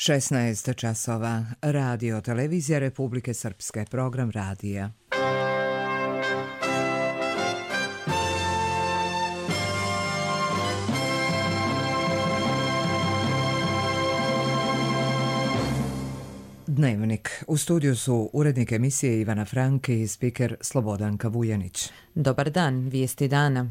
16 časova. Radio Televizija Republike Srpske. Program radija. Dnevnik. U studiju su urednik emisije Ivana Franke i spiker Slobodanka Vujanić. Dobar dan, vijesti dana.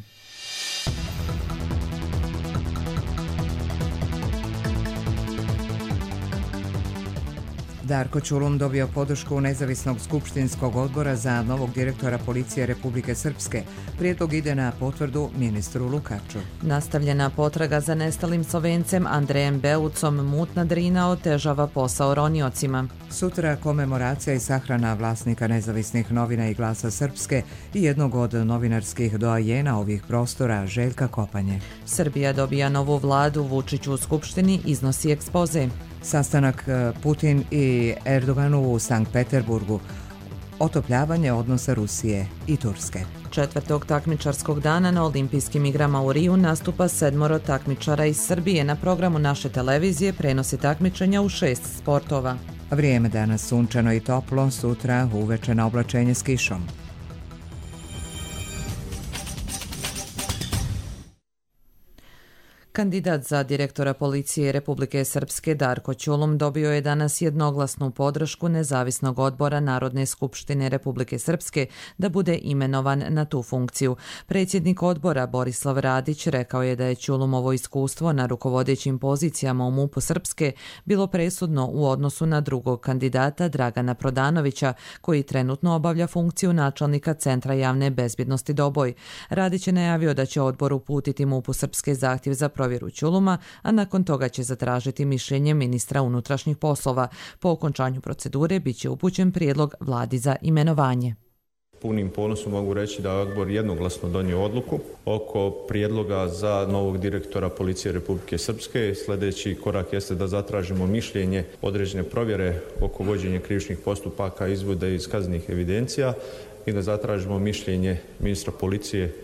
Darko Ćulum dobio podršku Nezavisnog skupštinskog odbora za novog direktora Policije Republike Srpske. Prijedlog ide na potvrdu ministru Lukaču. Nastavljena potraga za nestalim Slovencem Andrejem Beucom, mutna Drina otežava posao roniocima. Sutra komemoracija i sahrana vlasnika nezavisnih novina i Glasa Srpske i jednog od novinarskih doajena ovih prostora, Željka Kopanje. Srbija dobija novu vladu, Vučić u Skupštini iznosi ekspoze. Sastanak Putin i Erdoganu u Sankt Peterburgu. Otopljavanje odnosa Rusije i Turske. 4. takmičarskog dana na Olimpijskim igrama u Riju nastupa 7 takmičara iz Srbije. Na programu naše televizije prenosi takmičenja u 6 sportova. Vrijeme danas sunčano i toplo, sutra uveče na oblačenje s kišom. Kandidat za direktora Policije Republike Srpske Darko Ćulum dobio je danas jednoglasnu podršku Nezavisnog odbora Narodne skupštine Republike Srpske da bude imenovan na tu funkciju. Predsjednik odbora Borislav Radić rekao je da je Ćulumovo iskustvo na rukovodećim pozicijama u MUP-u Srpske bilo presudno u odnosu na drugog kandidata Dragana Prodanovića, koji trenutno obavlja funkciju načelnika Centra javne bezbjednosti Doboj. Radić je najavio da će odbor uputiti MUP-u Srpske zahtjev za provjeru Ćuluma, a nakon toga će zatražiti mišljenje ministra unutrašnjih poslova. Po okončanju procedure bit će upućen prijedlog vladi za imenovanje. Punim ponosom mogu reći da je odbor jednoglasno donio odluku oko prijedloga za novog direktora Policije Republike Srpske. Sljedeći korak jeste da zatražimo mišljenje određene provjere oko vođenja krivičnih postupaka, izvode iz kaznenih evidencija i da zatražimo mišljenje ministra policije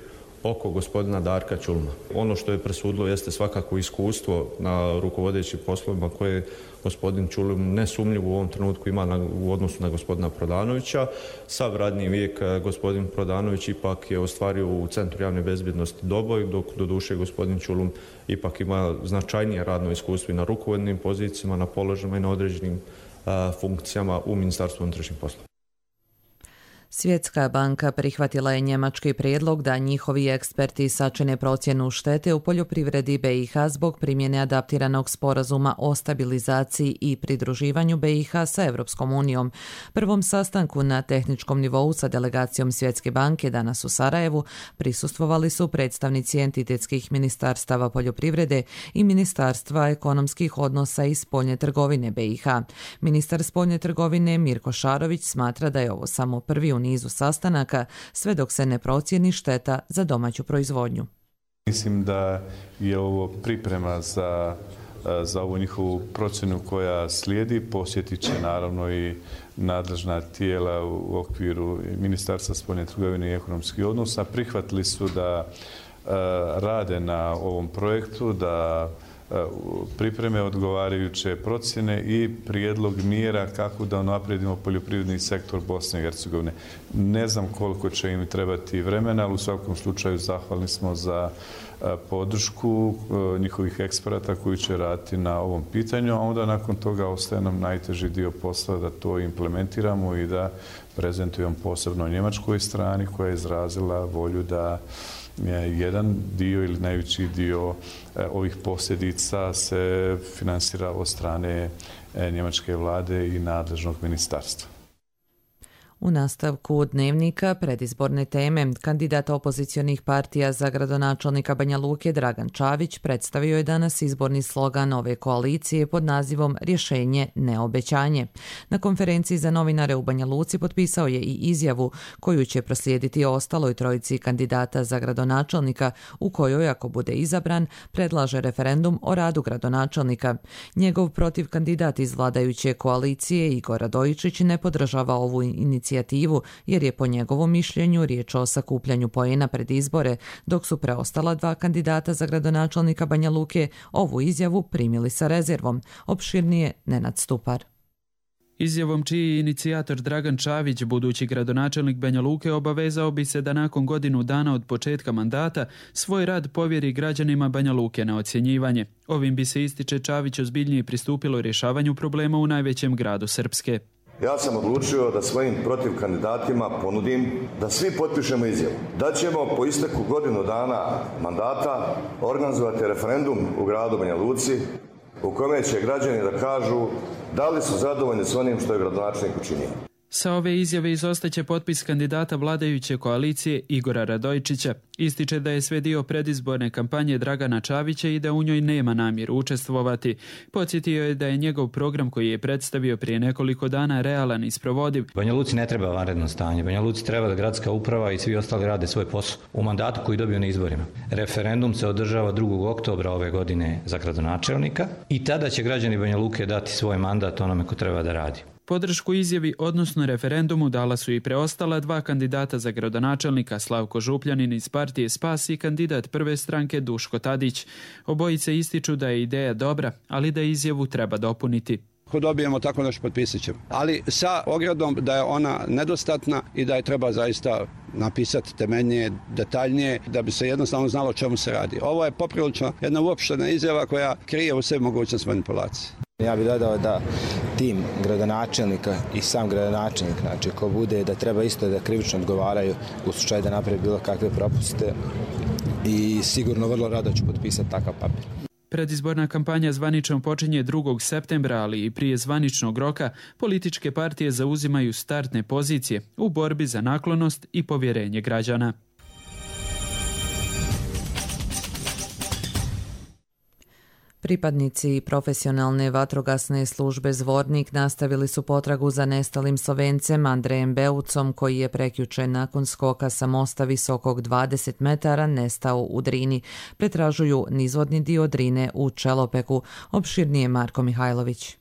oko gospodina Darka Ćuluma. Ono što je presudilo jeste svakako iskustvo na rukovodećim poslovima koje gospodin Ćulum nesumnjivo u ovom trenutku ima u odnosu na gospodina Prodanovića. Sav radni vijek gospodin Prodanović ipak je ostvario u Centru javne bezbjednosti Doboj, dok doduše gospodin Ćulum ipak ima značajnije radno iskustvo i na rukovodnim pozicijama, na položajima i na određenim funkcijama u Ministarstvu unutrašnjih poslova. Svjetska banka prihvatila je njemački prijedlog da njihovi eksperti sačine procjenu štete u poljoprivredi BiH zbog primjene adaptiranog sporazuma o stabilizaciji i pridruživanju BiH sa Europskom unijom. Prvom sastanku na tehničkom nivou sa delegacijom Svjetske banke danas u Sarajevu prisustvovali su predstavnici entitetskih ministarstava poljoprivrede i Ministarstva ekonomskih odnosa i spoljne trgovine BiH. Ministar spoljne trgovine Mirko Šarović smatra da je ovo samo prvi u nizu sastanaka, sve dok se ne procijeni šteta za domaću proizvodnju. Mislim da je ovo priprema za ovu njihovu procjenu koja slijedi. Posjetit će naravno i nadležna tijela u okviru Ministarstva spoljne trgovine i ekonomskih odnosa. Prihvatili su da rade na ovom projektu, da pripreme odgovarajuće procjene i prijedlog mjera kako da unaprijedimo poljoprivredni sektor Bosne i Hercegovine. Ne znam koliko će im trebati vremena, ali u svakom slučaju zahvalni smo za podršku njihovih eksperata koji će raditi na ovom pitanju, a onda nakon toga ostaje nam najteži dio posla da to implementiramo i da prezentujemo posebno njemačkoj strani koja je izrazila volju da jedan dio ili najveći dio ovih posljedica se finansira od strane njemačke vlade i nadležnog ministarstva. U nastavku dnevnika predizborne teme, kandidat opozicionih partija za gradonačelnika Banja Luke Dragan Čavić predstavio je danas izborni slogan ove koalicije pod nazivom Rješenje, ne obećanje. Na konferenciji za novinare u Banja Luci potpisao je i izjavu koju će proslijediti ostaloj trojici kandidata za gradonačelnika, u kojoj, ako bude izabran, predlaže referendum o radu gradonačelnika. Njegov protiv kandidat iz vladajuće koalicije Igor Radojičić ne podržava ovu inicijativu inicijativu jer je po njegovom mišljenju riječ o sakupljanju poena pred izbore, dok su preostala dva kandidata za gradonačelnika Banja Luke ovu izjavu primili sa rezervom. Opširnije Nenad Stupar. Izjavom čiji je inicijator Dragan Čavić, budući gradonačelnik Banja Luke, obavezao bi se da nakon godinu dana od početka mandata svoj rad povjeri građanima Banja Luke na ocjenjivanje. Ovim bi se, ističe Čavić, ozbiljnije pristupilo rješavanju problema u najvećem gradu Srpske. Ja sam odlučio da svojim protiv kandidatima ponudim da svi potpišemo izjavu. Da ćemo po isteku godinu dana mandata organizovati referendum u gradu Banja Luci u kome će građani da kažu da li su zadovoljni s onim što je gradonačelnik učinio. Sa ove izjave izostaće potpis kandidata vladajuće koalicije Igora Radojčića. Ističe da je sve dio predizborne kampanje Dragana Čavića i da u njoj nema namjeru učestvovati. Podsjetio je da je njegov program koji je predstavio prije nekoliko dana realan i sprovodiv. Banja Luci ne treba vanredno stanje. Banja Luci treba da gradska uprava i svi ostali rade svoj posao u mandatu koji dobiju na izborima. Referendum se održava 2. oktobra ove godine za gradonačelnika i tada će građani Banja Luke dati svoj mandat onome ko treba da radi. Podršku izjavi, odnosno referendumu, dala su i preostala dva kandidata za gradonačelnika, Slavko Župljanin iz partije Spas i kandidat prve stranke Duško Tadić. Obojice ističu da je ideja dobra, ali da izjavu treba dopuniti. Ako dobijemo tako nešto, potpisat ćemo. Ali sa ogradom da je ona nedostatna i da je treba zaista napisati temeljnije, detaljnije, da bi se jednostavno znalo o čemu se radi. Ovo je poprilično jedna uopštena izjava koja krije u sebi mogućnost manipulacije. Ja bih dodao da tim gradonačelnika i sam gradonačelnik, znači ko bude, da treba isto da krivično odgovaraju u slučaju da napravi bilo kakve propuste i sigurno vrlo rado ću potpisati takav papir. Predizborna kampanja zvanično počinje 2. septembra, ali i prije zvaničnog roka političke partije zauzimaju startne pozicije u borbi za naklonost i povjerenje građana. Pripadnici profesionalne vatrogasne službe Zvornik nastavili su potragu za nestalim Slovencem Andrejem Beucom, koji je prekjuče nakon skoka sa mosta visokog 20 metara nestao u Drini. Pretražuju nizvodni dio Drine u Čelopeku. Opširnije Marko Mihajlović.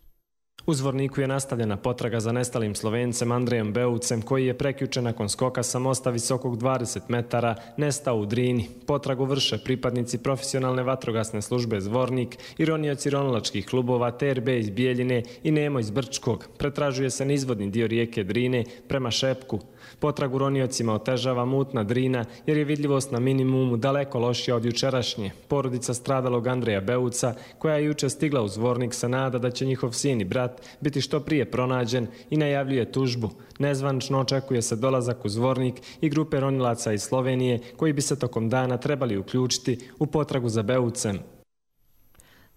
U Zvorniku je nastavljena potraga za nestalim Slovencem Andrejem Beucem, koji je prekjuče nakon skoka sa mosta visokog 20 metara nestao u Drini. Potragu vrše pripadnici profesionalne vatrogasne službe Zvornik i ronioci ronilačkih klubova TRB iz Bijeljine i Nemo iz Brčkog. Pretražuje se nizvodni dio rijeke Drine prema Šepku. Potragu roniocima otežava mutna Drina jer je vidljivost na minimumu daleko lošija od jučerašnje. Porodica stradalog Andreja Beuca, koja je juče stigla u Zvornik, se nada da će njihov sin i brat biti što prije pronađen i najavljuje tužbu. Nezvanično očekuje se dolazak u Zvornik i grupe ronilaca iz Slovenije koji bi se tokom dana trebali uključiti u potragu za Beucem.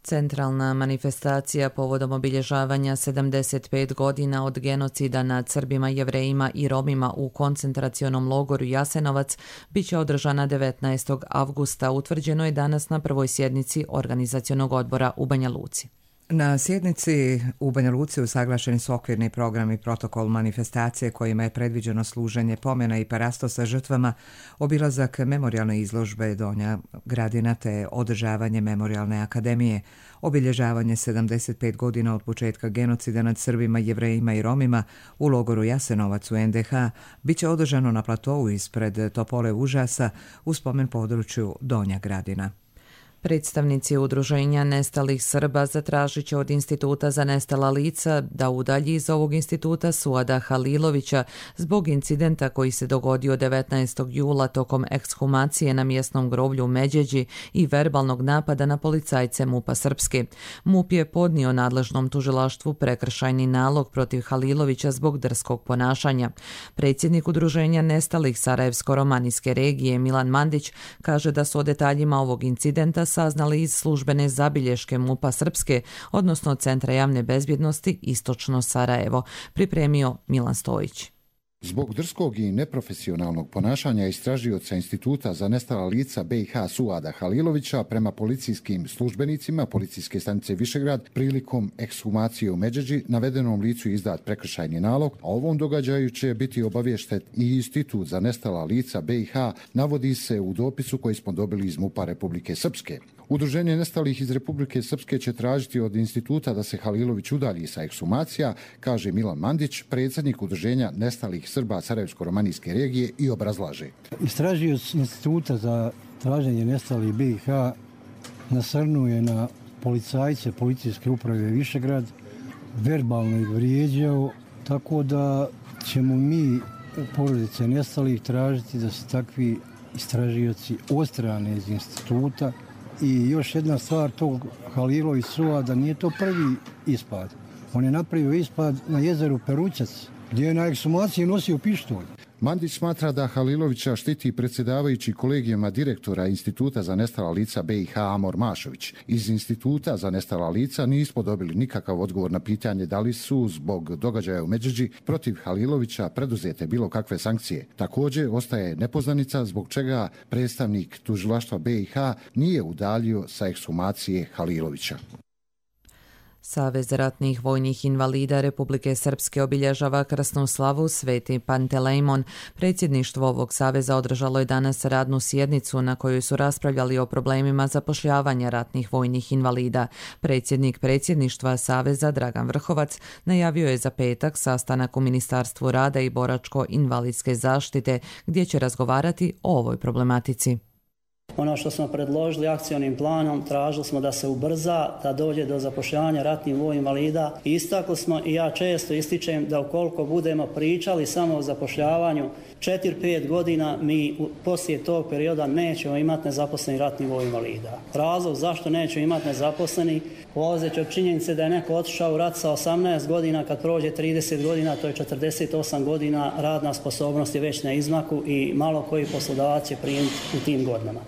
Centralna manifestacija povodom obilježavanja 75 godina od genocida nad Srbima, Jevrejima i Romima u koncentracionom logoru Jasenovac biće održana 19. avgusta, utvrđeno je danas na prvoj sjednici organizacionog odbora u Banja Luci. Na sjednici u Banja Luci usaglašeni su okvirni program i protokol manifestacije kojima je predviđeno služenje pomena i parasto sa žrtvama, obilazak memorijalne izložbe Donja Gradina te održavanje memorijalne akademije. Obilježavanje 75 godina od početka genocida nad Srbima, Jevrejima i Romima u logoru Jasenovac u NDH biće održano na platovu ispred Topole užasa u spomen području Donja Gradina. Predstavnici udruženja nestalih Srba zatražit će od Instituta za nestala lica da udalji iz ovog instituta Suada Halilovića zbog incidenta koji se dogodio 19. jula tokom ekshumacije na mjesnom groblju u Međeđi i verbalnog napada na policajce MUP-a Srpske. MUP je podnio nadležnom tužilaštvu prekršajni nalog protiv Halilovića zbog drskog ponašanja. Predsjednik udruženja nestalih Sarajevsko-romanijske regije Milan Mandić kaže da su o detaljima ovog incidenta saznali iz službene zabilješke MUP-a Srpske, odnosno Centra javne bezbjednosti Istočno Sarajevo, pripremio Milan Stojić. Zbog drskog i neprofesionalnog ponašanja istražioca Instituta za nestala lica BiH Suada Halilovića prema policijskim službenicima policijske stanice Višegrad prilikom ekshumacije u Međeđi navedenom licu izdat prekršajni nalog, a ovom događaju će biti obaviješten i Institut za nestala lica BiH, navodi se u dopisu koji smo dobili iz MUP-a Republike Srpske. Udruženje nestalih iz Republike Srpske će tražiti od instituta da se Halilović udalji sa ekshumacija, kaže Milan Mandić, predsjednik udruženja nestalih etničkih Srba Sarajevsko-romanijske regije i obrazlaže. Istražioc Instituta za traženje nestalih BiH nasrnuje na policajce Policijske uprave Višegrad, verbalno ih vrijeđao, tako da ćemo mi porodice nestalih tražiti da se takvi istražioci odstrane iz instituta. I još jedna stvar tog Halilović Suada, nije to prvi ispad. On je napravio ispad na jezeru Perućac, gdje je na ekshumaciji nosio pištolj. Mandić smatra da Halilovića štiti predsjedavajući kolegijama direktora Instituta za nestala lica BiH Amor Mašović. Iz Instituta za nestala lica nismo dobili nikakav odgovor na pitanje da li su zbog događaja u Međeđi protiv Halilovića preduzete bilo kakve sankcije. Također ostaje nepoznanica zbog čega predstavnik tužilaštva BiH nije udaljio sa ekshumacije Halilovića. Savez ratnih vojnih invalida Republike Srpske obilježava krsnu slavu Sveti Pantelejmon. Predsjedništvo ovog saveza održalo je danas radnu sjednicu na kojoj su raspravljali o problemima zapošljavanja ratnih vojnih invalida. Predsjednik predsjedništva saveza Dragan Vrhovac najavio je za petak sastanak u Ministarstvu rada i boračko-invalidske zaštite gdje će razgovarati o ovoj problematici. Ono što smo predložili akcionim planom, tražili smo da se ubrza, da dođe do zapošljavanja ratnih vojnih invalida. Istakli smo i ja često ističem da ukoliko budemo pričali samo o zapošljavanju 4-5 godina, mi poslije tog perioda nećemo imati nezaposleni ratni vojnih invalida. Razlog zašto nećemo imati nezaposleni, polazeći od činjenice da je neko otišao u rat sa 18 godina, kad prođe 30 godina, to je 48 godina, radna sposobnost je već na izmaku i malo koji poslodavac će primiti u tim godinama.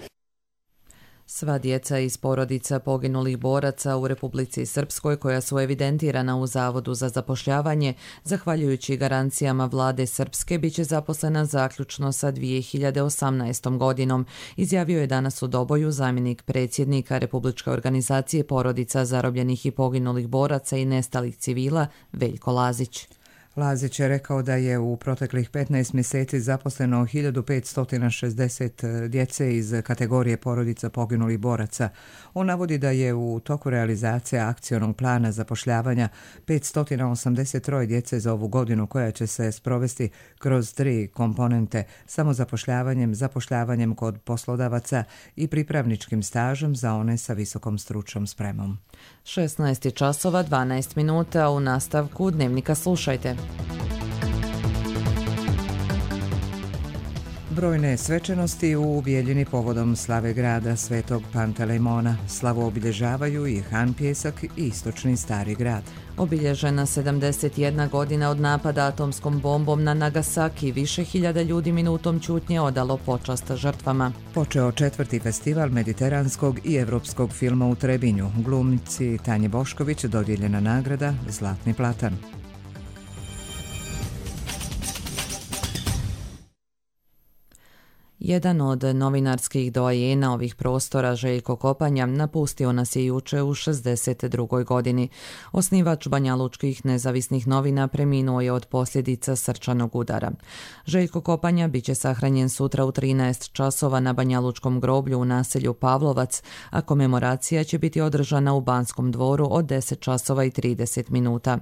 Sva djeca iz porodica poginulih boraca u Republici Srpskoj koja su evidentirana u Zavodu za zapošljavanje, zahvaljujući garancijama vlade Srpske, bit će zaposlena zaključno sa 2018. godinom, izjavio je danas u Doboju zamjenik predsjednika Republičke organizacije porodica zarobljenih i poginulih boraca i nestalih civila Veljko Lazić. Lazić je rekao da je u proteklih 15 mjeseci zaposleno 1560 djece iz kategorije porodica poginulih boraca. On navodi da je u toku realizacije akcionog plana zapošljavanja 583 djece za ovu godinu koja će se sprovesti kroz 3 komponente: samozapošljavanjem, zapošljavanjem kod poslodavaca i pripravničkim stažem za one sa visokom stručnom spremom. 16 časova 12 minuta, u nastavku Dnevnika slušajte. Brojne svečanosti u Bijeljini povodom slave grada Svetog Pantelejmona. Slavu obilježavaju i Han Pjesak i istočni Stari grad. Obilježena 71 godina od napada atomskom bombom na Nagasaki, više hiljada ljudi minutom ćutnje odalo počast žrtvama. Počeo 4. festival mediteranskog i evropskog filma u Trebinju. Glumici Tanji Bošković dodijeljena nagrada Zlatni platan. Jedan od novinarskih doajena ovih prostora, Željko Kopanja, napustio nas je juče u 62. godini. Osnivač banjalučkih nezavisnih novina preminuo je od posljedica srčanog udara. Željko Kopanja bit će sahranjen sutra u 13 časova na banjalučkom groblju u naselju Pavlovac, a komemoracija će biti održana u Banskom dvoru od 10 časova i 30 minuta.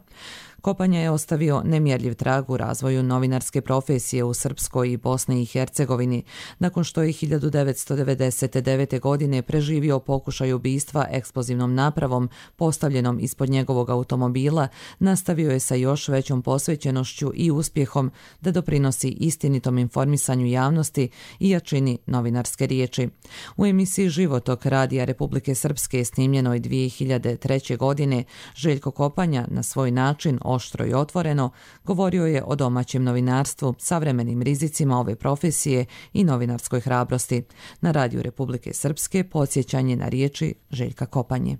Kopanja je ostavio nemjerljiv trag u razvoju novinarske profesije u Srpskoj i Bosni i Hercegovini, nakon što je 1999. godine preživio pokušaj ubistva eksplozivnom napravom postavljenom ispod njegovog automobila, nastavio je sa još većom posvećenošću i uspjehom da doprinosi istinitom informisanju javnosti i jačini novinarske riječi. U emisiji Životok Radija Republike Srpske snimljenoj 2003. godine, Željko Kopanja na svoj način oštro i otvoreno govorio je o domaćem novinarstvu, savremenim rizicima ove profesije i novinarskoj hrabrosti. Na Radiju Republike Srpske podsjećanje na riječi Željka Kopanje.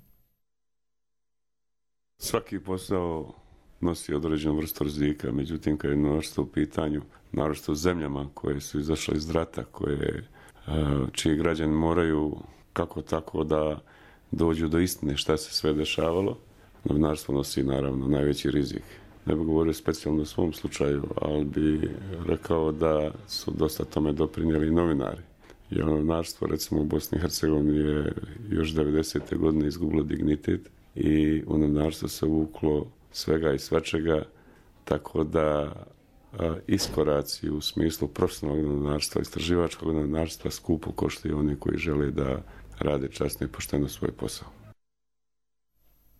Svaki posao nosi određenu vrstu rizika, međutim kad je novinarstvo u pitanju, naročito u zemljama koje su izašle iz rata, čiji građani moraju kako tako da dođu do istine šta se sve dešavalo, novinarstvo nosi naravno najveći rizik. Ne bih govorio specijalno u svom slučaju, ali bi rekao da su dosta tome doprinijeli novinari. Jer novinarstvo recimo u Bosni i Hercegovini je još 90. godine izgubilo dignitet i u novinarstvo se uvuklo svega i svačega, tako da iskoraci u smislu profesionalnog novinarstva, istraživačkog novinarstva skupo koštaju oni koji žele da rade časno i pošteno svoj posao.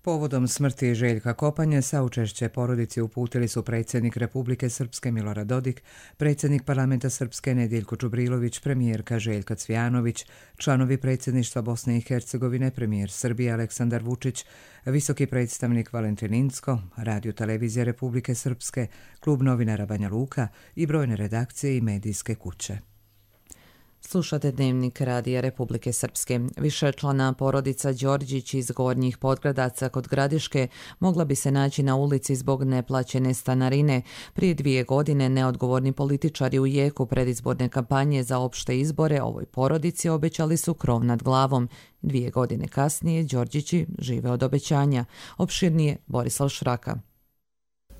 Povodom smrti Željka Kopanje saučešće porodici uputili su predsjednik Republike Srpske Milorad Dodik, predsjednik Parlamenta Srpske Nedjeljko Čubrilović, premijerka Željka Cvijanović, članovi predsjedništva Bosne i Hercegovine, premijer Srbije Aleksandar Vučić, visoki predstavnik Valentin Incko, Radio televizija Republike Srpske, klub novinara Banja Luka i brojne redakcije i medijske kuće. Slušate Dnevnik Radija Republike Srpske. Višečlana porodica Đorđić iz Gornjih Podgradaca kod Gradiške mogla bi se naći na ulici zbog neplaćene stanarine. Prije 2 godine neodgovorni političari u jeku predizborne kampanje za opšte izbore ovoj porodici obećali su krov nad glavom. 2 godine kasnije Đorđići žive od obećanja. Opširnije Borislav Šraka.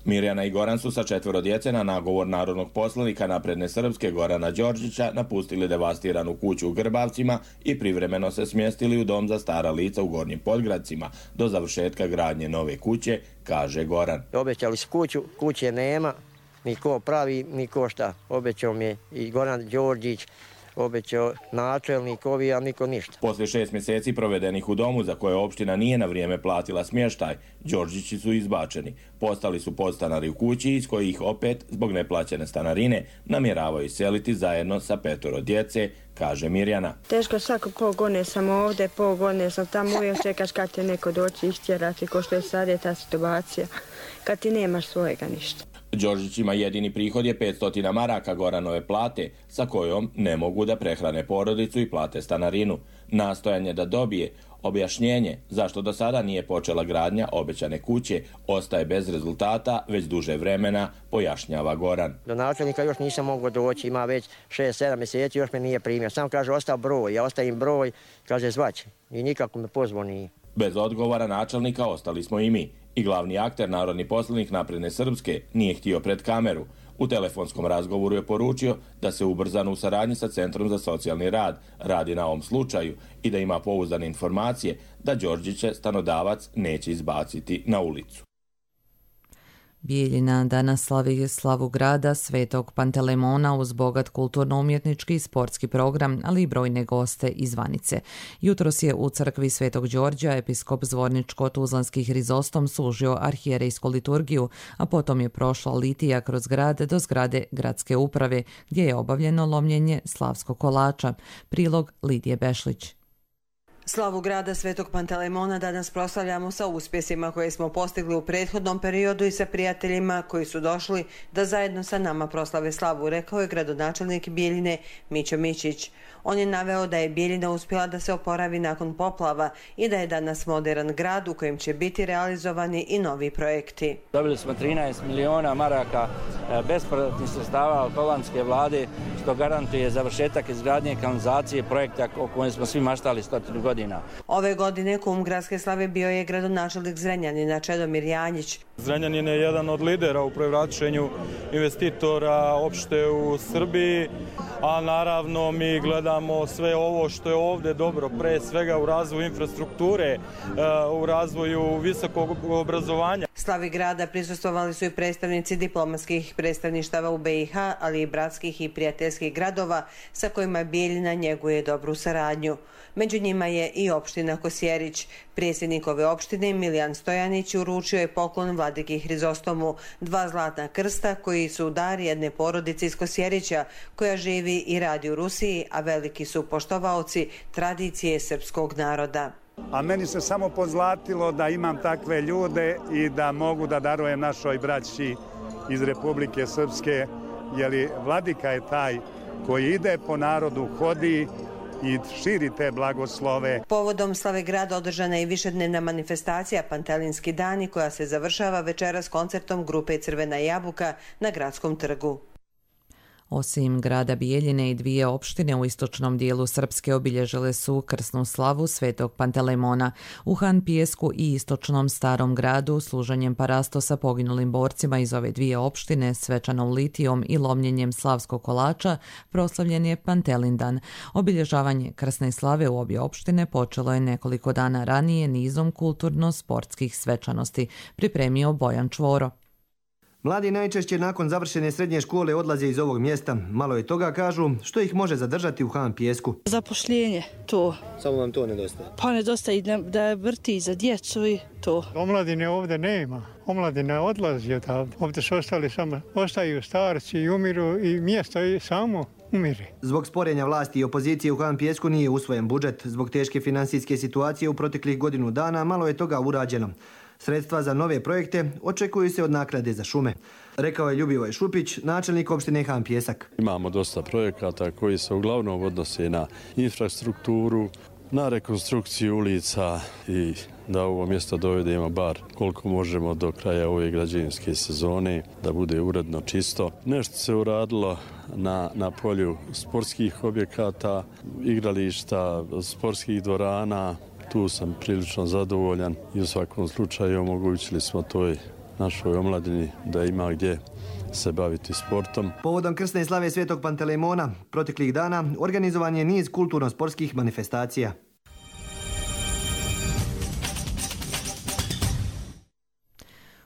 Mirjana i Goran su sa 4 djece na nagovor narodnog poslanika Napredne Srpske Gorana Đorđića napustili devastiranu kuću u Grbavcima i privremeno se smjestili u dom za stara lica u Gornjim Podgradcima do završetka gradnje nove kuće, kaže Goran. Obećali su kuću, kuće nema, niko pravi, niko šta. Obećao mi je i Goran Đorđić, obećao načelnik, a niko ništa. Poslije 6 mjeseci provedenih u domu za koje opština nije na vrijeme platila smještaj, Đorđići su izbačeni. Postali su podstanari u kući iz kojih opet, zbog neplaćene stanarine, namjeravaju iseliti zajedno sa 5 djece, kaže Mirjana. Teško, svako pol godine sam ovdje, pol godine sam tamo, uvijek čekaš kad te neko doći istjerati, ko što je sad je ta situacija, kad ti nemaš svojega ništa. Đorđićima jedini prihod je 500 maraka Goranove plate, sa kojom ne mogu da prehrane porodicu i plate stanarinu. Nastojanje da dobije objašnjenje zašto do sada nije počela gradnja obećane kuće ostaje bez rezultata već duže vremena, pojašnjava Goran. Do načelnika još nisam mogao doći, ima već 6-7 mjeseci, još me nije primio. Sam kaže ostao broj, ja ostavim broj, kaže zvaće i nikako me pozvao nije. Bez odgovora načelnika ostali smo i mi. I glavni akter, narodni poslanik Napredne Srpske, nije htio pred kameru. U telefonskom razgovoru je poručio da se ubrzano u saradnji sa Centrom za socijalni rad radi na ovom slučaju i da ima pouzdane informacije da Đorđiće stanodavac neće izbaciti na ulicu. Bijeljina danas slavi slavu grada Svetog Pantelemona uz bogat kulturno-umjetnički i sportski program, ali i brojne goste iz Vanice. Jutros je u crkvi Svetog Đorđa episkop Zvorničko-Tuzlanski Hrizostom služio arhijerejsku liturgiju, a potom je prošla litija kroz grad do zgrade gradske uprave, gdje je obavljeno lomljenje slavskog kolača. Prilog Lidije Bešlić. Slavu grada Svetog Pantelemona danas proslavljamo sa uspjesima koje smo postigli u prethodnom periodu i sa prijateljima koji su došli da zajedno sa nama proslave slavu, rekao je gradonačelnik Bijeljine Mićo Mićić. On je naveo da je Bijeljina uspjela da se oporavi nakon poplava i da je danas moderan grad u kojem će biti realizovani i novi projekti. Dobili smo 13 miliona maraka bespovratnih sredstava od holandske vlade, što garantuje završetak izgradnje kanalizacije, projekta o kojem smo svi maštali 100 godina. Ove godine kum gradske slave bio je gradonačelnik Zrenjanina Čedomir Janjić. Zrenjanin je jedan od lidera u privlačenju investitora opšte u Srbiji, a naravno mi gledamo sve ovo što je ovdje dobro, pre svega u razvoju infrastrukture, u razvoju visokog obrazovanja. Slavi grada prisustvovali su i predstavnici diplomatskih predstavništava u BiH, ali i bratskih i prijateljskih gradova sa kojima Bijeljina njeguje dobru saradnju. Među njima je i opština Kosjerić. Predsjednik ove opštine Milijan Stojanić uručio je poklon vladiki Hrizostomu 2 zlatna krsta koji su dar jedne porodice iz Kosjerića koja živi i radi u Rusiji, a veliki su poštovaoci tradicije srpskog naroda. A meni se samo pozlatilo da imam takve ljude i da mogu da darujem našoj braći iz Republike Srpske, jer vladika je taj koji ide po narodu, hodi i širi te blagoslove. Povodom slave grada održana je i višednevna manifestacija Pantelinski dani koja se završava večeras koncertom grupe Crvena jabuka na Gradskom trgu. Osim grada Bijeljine i 2 opštine u istočnom dijelu Srpske obilježile su krsnu slavu Svetog Pantelemona. U Han Pijesku i istočnom Starom gradu služenjem parastosa poginulim borcima iz ove 2 opštine, svečanom litijom i lomljenjem slavskog kolača proslavljen je Pantelindan. Obilježavanje krsne slave u obje opštine počelo je nekoliko dana ranije nizom kulturno-sportskih svečanosti, pripremio Bojan Čvoro. Mladi najčešće nakon završene srednje škole odlaze iz ovog mjesta. Malo je toga, kažu, što ih može zadržati u Han Pijesku. Zapošljenje, to. Samo vam to nedostaje? Pa nedostaje da vrti za djecu i to. Omladine ovdje nema. Omladina odlazi odavde. Ovdje su ostaju starci i umiru i mjesto je samo umire. Zbog sporenja vlasti i opozicije u Han Pijesku nije usvojen budžet. Zbog teške financijske situacije u proteklih godinu dana malo je toga urađeno. Sredstva za nove projekte očekuju se od naknade za šume. Rekao je Ljubivoj Šupić, načelnik opštine Han Pijesak. Imamo dosta projekata koji se uglavnom odnose na infrastrukturu, na rekonstrukciju ulica i da ovo mjesto dovedemo bar koliko možemo do kraja ove građevinske sezone, da bude uredno čisto. Nešto se uradilo na polju sportskih objekata, igrališta, sportskih dvorana. Tu sam prilično zadovoljan i u svakom slučaju omogućili smo toj našoj omladini da ima gdje se baviti sportom. Povodom krsne slave Svetog Pantelejmona proteklih dana organizovan je niz kulturno-sportskih manifestacija.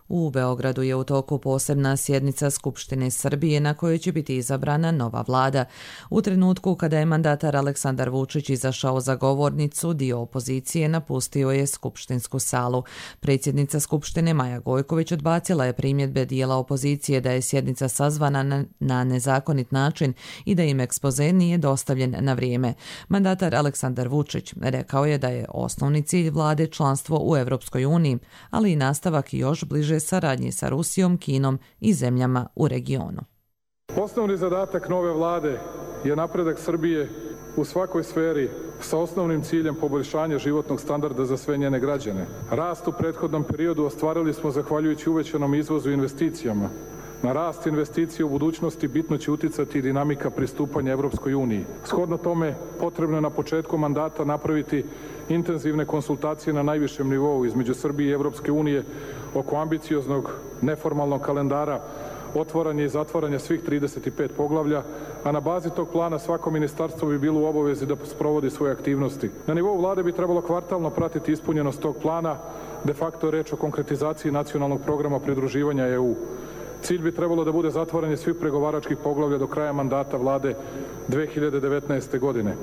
U Beogradu je u toku posebna sjednica Skupštine Srbije na kojoj će biti izabrana nova vlada. U trenutku kada je mandatar Aleksandar Vučić izašao za govornicu, dio opozicije napustio je skupštinsku salu. Predsjednica Skupštine Maja Gojković odbacila je primjedbe dijela opozicije da je sjednica sazvana na nezakonit način i da im ekspoze nije dostavljen na vrijeme. Mandatar Aleksandar Vučić rekao je da je osnovni cilj vlade članstvo u Europskoj uniji, ali i nastavak još bliže saradnje sa Rusijom, Kinom i zemljama u regionu. Osnovni zadatak nove vlade je napredak Srbije u svakoj sferi sa osnovnim ciljem poboljšanja životnog standarda za sve njene građane. Rast u prethodnom periodu ostvarili smo zahvaljujući uvećanom izvozu i investicijama. Na rast investicija u budućnosti bitno će uticati dinamika pristupanja Evropskoj uniji. Shodno tome, potrebno je na početku mandata napraviti intenzivne konsultacije na najvišem nivou između Srbije i Evropske unije oko ambicioznog neformalnog kalendara otvaranja i zatvaranja svih 35 poglavlja, a na bazi tog plana svako ministarstvo bi bilo u obavezi da sprovodi svoje aktivnosti. Na nivou vlade bi trebalo kvartalno pratiti ispunjenost tog plana, de facto je reč o konkretizaciji nacionalnog programa pridruživanja EU. Cilj bi trebalo da bude zatvaranje svih pregovaračkih poglavlja do kraja mandata vlade 2019. godine.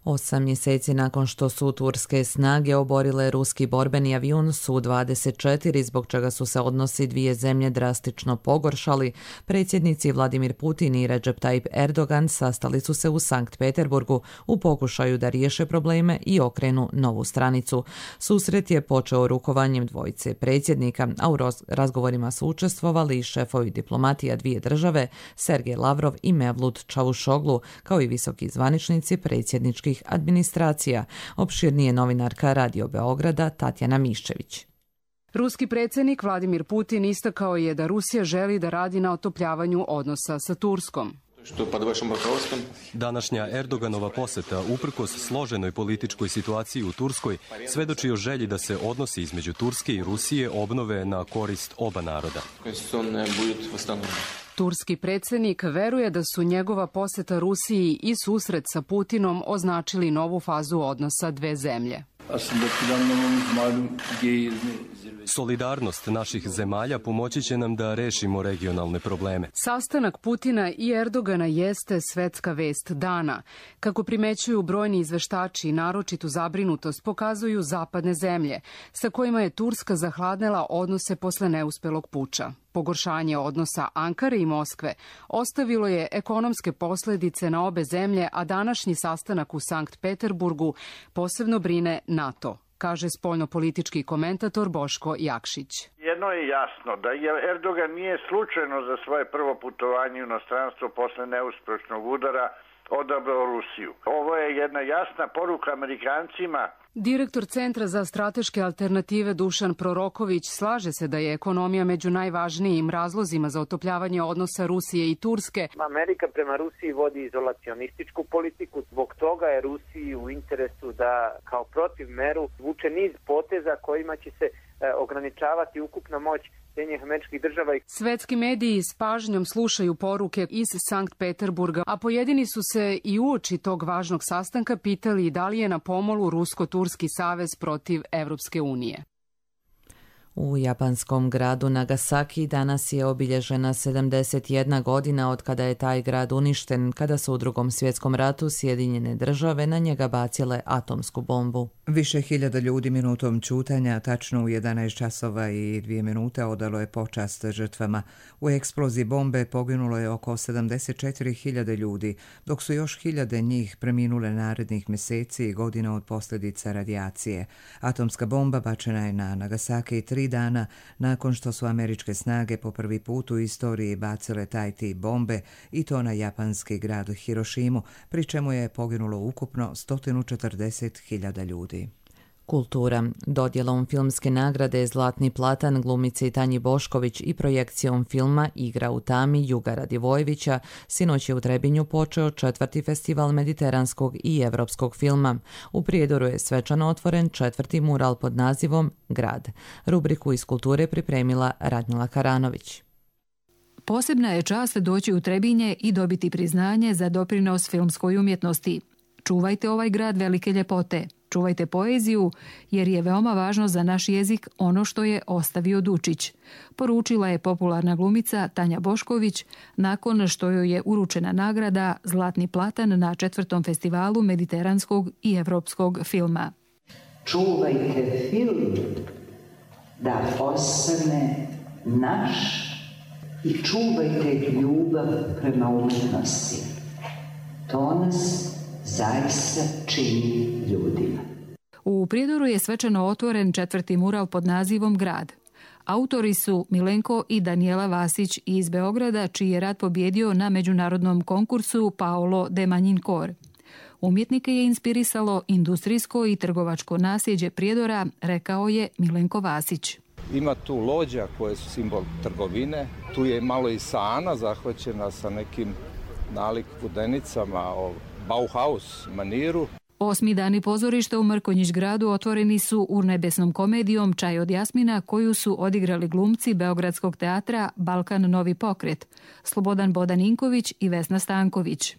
8 mjeseci nakon što su turske snage oborile ruski borbeni avion Su-24, zbog čega su se odnosi dvije zemlje drastično pogoršali, predsjednici Vladimir Putin i Recep Tayyip Erdogan sastali su se u Sankt Peterburgu u pokušaju da riješe probleme i okrenu novu stranicu. Susret je počeo rukovanjem dvojice predsjednika, a u razgovorima su učestvovali i šefovi diplomatija dvije države, Sergej Lavrov i Mevlut Čavušoglu, kao i visoki zvaničnici predsjedničkih administracija. Opširnije novinarka Radio Beograda Tatjana Miščević. Ruski predsjednik Vladimir Putin istakao je da Rusija želi da radi na otopljavanju odnosa sa Turskom. Današnja Erdoganova posjeta, uprkos složenoj političkoj situaciji u Turskoj, svedoči o želji da se odnosi između Turske i Rusije obnove na korist oba naroda. Turski predsjednik veruje da su njegova posjeta Rusiji i susret sa Putinom označili novu fazu odnosa dve zemlje. Solidarnost naših zemalja pomoći će nam da rešimo regionalne probleme. Sastanak Putina i Erdogana jeste svetska vest dana. Kako primećuju brojni izveštači, naročitu zabrinutost pokazuju zapadne zemlje, sa kojima je Turska zahladnela odnose posle neuspelog puča. Pogoršanje odnosa Ankare i Moskve ostavilo je ekonomske posljedice na obe zemlje, a današnji sastanak u Sankt Peterburgu posebno brine NATO, kaže spoljnopolitički komentator Boško Jakšić. Jedno je jasno, da Erdogan nije slučajno za svoje prvo putovanje u inostranstvo posle neuspešnog udara odabrao Rusiju. Ovo je jedna jasna poruka Amerikancima. Direktor Centra za strateške alternative Dušan Proroković slaže se da je ekonomija među najvažnijim razlozima za otopljavanje odnosa Rusije i Turske. Amerika prema Rusiji vodi izolacionističku politiku, zbog toga je Rusiji u interesu da kao protiv meru vuče niz poteza kojima će se ograničavati ukupna moć Sjedinjenih Američkih Država. Svetski mediji s pažnjom slušaju poruke iz Sankt Peterburga, a pojedini su se i uoči tog važnog sastanka pitali da li je na pomolu Rusko-Turski savez protiv Evropske unije. U japanskom gradu Nagasaki danas je obilježena 71 godina od kada je taj grad uništen, kada su u Drugom svjetskom ratu Sjedinjene države na njega bacile atomsku bombu. Više hiljada ljudi minutom ćutanja, tačno u 11 časova i 2 minute odalo je počast žrtvama. U eksploziji bombe poginulo je oko 74.000 ljudi, dok su još hiljade njih preminule narednih mjeseci i godina od posljedica radijacije. Atomska bomba bačena je na Nagasaki 3 dana nakon što su američke snage po prvi put u istoriji bacile taj tip bombe i to na japanski grad Hirošimu, pri čemu je poginulo ukupno 140.000 ljudi. Kultura. Dodjelom filmske nagrade Zlatni platan glumici Tanji Bošković i projekcijom filma Igra u tami Juga Radivojevića sinoć je u Trebinju počeo 4. festival mediteranskog i evropskog filma. U Prijedoru je svečano otvoren 4. mural pod nazivom Grad. Rubriku iz kulture pripremila Radmila Karanović. Posebna je čast doći u Trebinje i dobiti priznanje za doprinos filmskoj umjetnosti. Čuvajte ovaj grad velike ljepote. Čuvajte poeziju, jer je veoma važno za naš jezik ono što je ostavio Dučić, poručila je popularna glumica Tanja Bošković nakon što joj je uručena nagrada Zlatni platan na 4. festivalu mediteranskog i evropskog filma. Čuvajte film da ostane naš i čuvajte ljubav prema umjetnosti. To nas zaista čini ljudima. U Prijedoru je svečano otvoren 4. mural pod nazivom Grad. Autori su Milenko i Danijela Vasić iz Beograda, čiji je rad pobjedio na međunarodnom konkursu Paolo de Manjinkor. Umjetnike je inspirisalo industrijsko i trgovačko nasljeđe Prijedora, rekao je Milenko Vasić. Ima tu lođa koje su simbol trgovine, tu je malo i sana zahvaćena sa nekim nalik vodenicama o Bauhaus maniru. 8. dani pozorišta u Mrkonjić gradu otvoreni su urnebesnom komedijom Čaj od Jasmina, koju su odigrali glumci Beogradskog teatra Balkan Novi pokret, Slobodan Bodaninković i Vesna Stanković.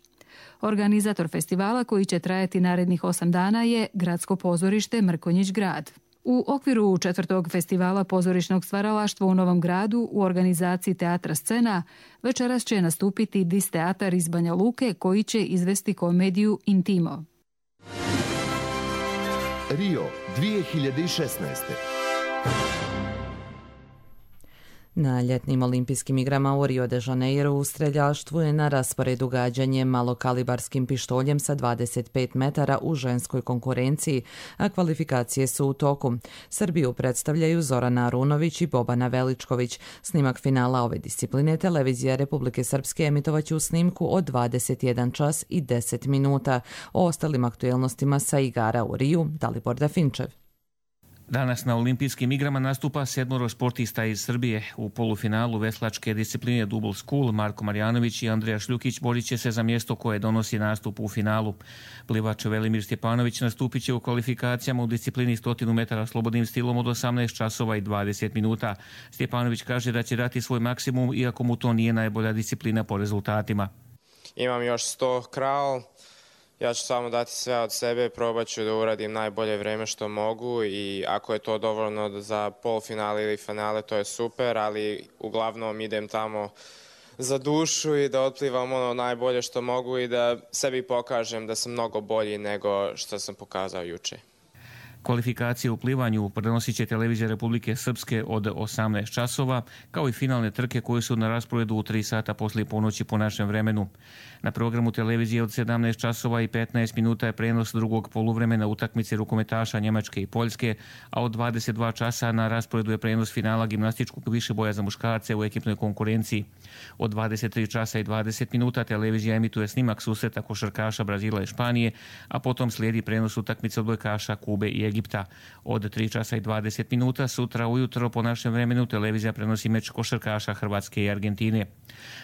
Organizator festivala, koji će trajati narednih 8 dana, je Gradsko pozorište Mrkonjić grad. U okviru 4. festivala pozorišnog stvaralaštva u Novom Gradu u organizaciji Teatra Scena večeras će nastupiti Dis teatar iz Banja Luke, koji će izvesti komediju Intimo. Rio 2016. Na ljetnim olimpijskim igrama u Rio de Janeiro u streljaštvu je na rasporedu gađanje malokalibarskim pištoljem sa 25 metara u ženskoj konkurenciji, a kvalifikacije su u toku. Srbiju predstavljaju Zorana Arunović i Bobana Veličković. Snimak finala ove discipline televizija Republike Srpske emitovaće u snimku od 21 čas i 10 minuta. O ostalim aktuelnostima sa igara u Riju, Dalibor Dafinčev. Danas na olimpijskim igrama nastupa 7 sportista iz Srbije. U polufinalu veslačke discipline Double School Marko Marjanović i Andreja Šljukić borit će se za mjesto koje donosi nastup u finalu. Plivač Velimir Stjepanović nastupit će u kvalifikacijama u disciplini 100 metara slobodnim stilom od 18 časova i 20 minuta. Stjepanović kaže da će dati svoj maksimum, iako mu to nije najbolja disciplina po rezultatima. Imam još 100 kraul. Ja ću samo dati sve od sebe, probat ću da uradim najbolje vreme što mogu i ako je to dovoljno za polfinale ili finale, to je super, ali uglavnom idem tamo za dušu i da otplivam ono najbolje što mogu i da sebi pokažem da sam mnogo bolji nego što sam pokazao juče. Kvalifikacije u plivanju prenosit će televizija Republike Srpske od 18 časova, kao i finalne trke koje su na rasporedu u 3 sata poslije ponoći po našem vremenu. Na programu televizije od 17 časova i 15 minuta je prenos drugog poluvremena utakmice rukometaša Njemačke i Poljske, a od 22 časa na rasporedu je prenos finala gimnastičkog višeboja za muškarce u ekipnoj konkurenciji. Od 23 časa i 20 minuta televizija emituje snimak susreta košarkaša Brazila i Španije, a potom slijedi prenos utakmice odbojkaša Kube i Egipta. Od 3 časa i 20 minuta sutra ujutro po našem vremenu televizija prenosi meč košarkaša Hrvatske i Argentine.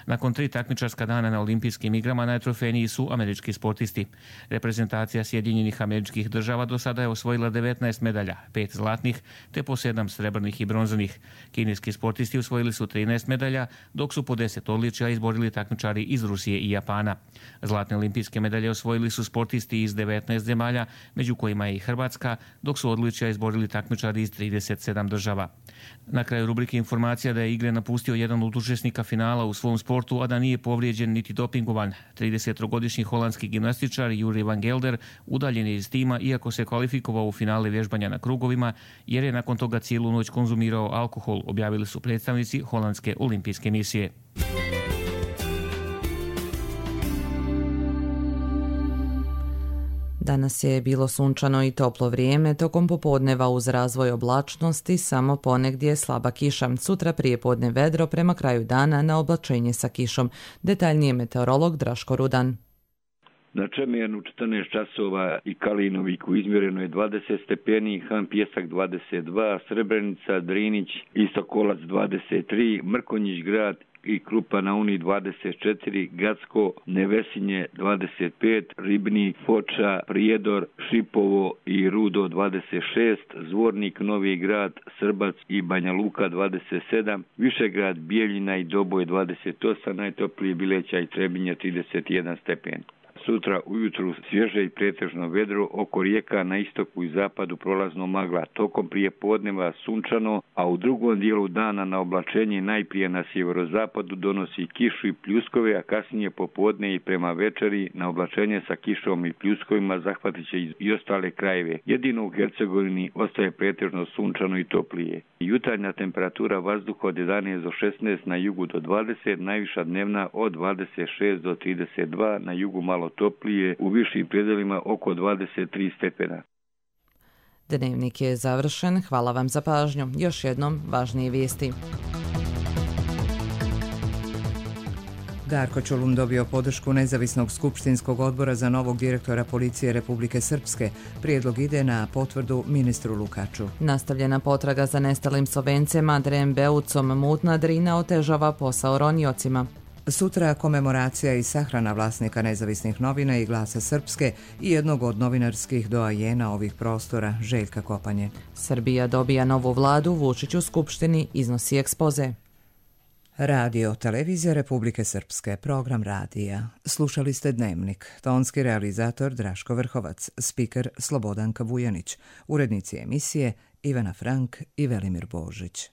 Nakon 3 takmičarska dana na olimpijskim igrama najtrofejniji su američki sportisti. Reprezentacija Sjedinjenih Američkih Država do sada je osvojila 19 medalja, 5 zlatnih te po 7 srebrnih i bronzanih. Kineski sportisti osvojili su 13 medalja, dok su po 10 odličja izborili takmičari iz Rusije i Japana. Zlatne olimpijske medalje osvojili su sportisti iz 19 zemalja, među kojima je i Hrvatska, dok su odličja izborili takmičari iz 37 država. Na kraju rubrike informacija da je igre napustio jedan od učesnika finala u svom sportu, a da nije povrijeđen niti dopingovan. 30-godišnji holandski gimnastičar Juri van Gelder udaljen je iz tima iako se kvalifikovao u finale vježbanja na krugovima, jer je nakon toga cijelu noć konzumirao alkohol, objavili su predstavnici Holandske olimpijske misije. Danas je bilo sunčano i toplo vrijeme, tokom popodneva uz razvoj oblačnosti samo ponegdje slaba kiša. Sutra prije podne vedro, prema kraju dana na oblačenje sa kišom. Detaljnije meteorolog Draško Rudan. Na Čemernu 14 časova i Kalinoviku izmjereno je 20 stepeni, Han Pjesak 22, Srebrenica, Drinić i Sokolac 23, Mrkonjić grad i Krupa na Uni 24, Gacko, Nevesinje 25, Ribnik, Foča, Prijedor, Šipovo i Rudo 26, Zvornik, Novi grad, Srbac i Banja Luka 27, Višegrad, Bijeljina i Doboj 28, najtoplije Bileća i Trebinje 31 stepen. Sutra ujutru svježe i pretežno vedro, oko rijeka na istoku i zapadu prolazno magla, tokom prije podneva sunčano, a u drugom dijelu dana na oblačenje najprije na sjeverozapadu donosi kišu i pljuskove, a kasnije popodne i prema večeri na oblačenje sa kišom i pljuskovima zahvatit će i ostale krajeve. Jedino u Hercegovini ostaje pretežno sunčano i toplije. Jutarnja temperatura vazduha od 11 do 16, na jugu do 20, najviša dnevna od 26 do 32, na jugu malo toplije, u višim predelima oko 23 stepena. Dnevnik je završen, hvala vam za pažnju. Još jednom važnije vijesti. Darko Čolum dobio podršku Nezavisnog skupštinskog odbora za novog direktora policije Republike Srpske. Prijedlog ide na potvrdu ministru Lukaču. Nastavljena potraga za nestalim Slovencem Andrejem Beucom, mutna Drina otežava posao roniocima. Sutra komemoracija i sahrana vlasnika Nezavisnih novina i Glasa Srpske i jednog od novinarskih doajena ovih prostora, Željka Kopanje. Srbija dobija novu vladu, Vučić u skupštini iznosi ekspoze. Radio Televizija Republike Srpske, program radija. Slušali ste Dnevnik, tonski realizator Draško Vrhovac, spiker Slobodanka Vujanić, urednici emisije Ivana Frank i Velimir Božić.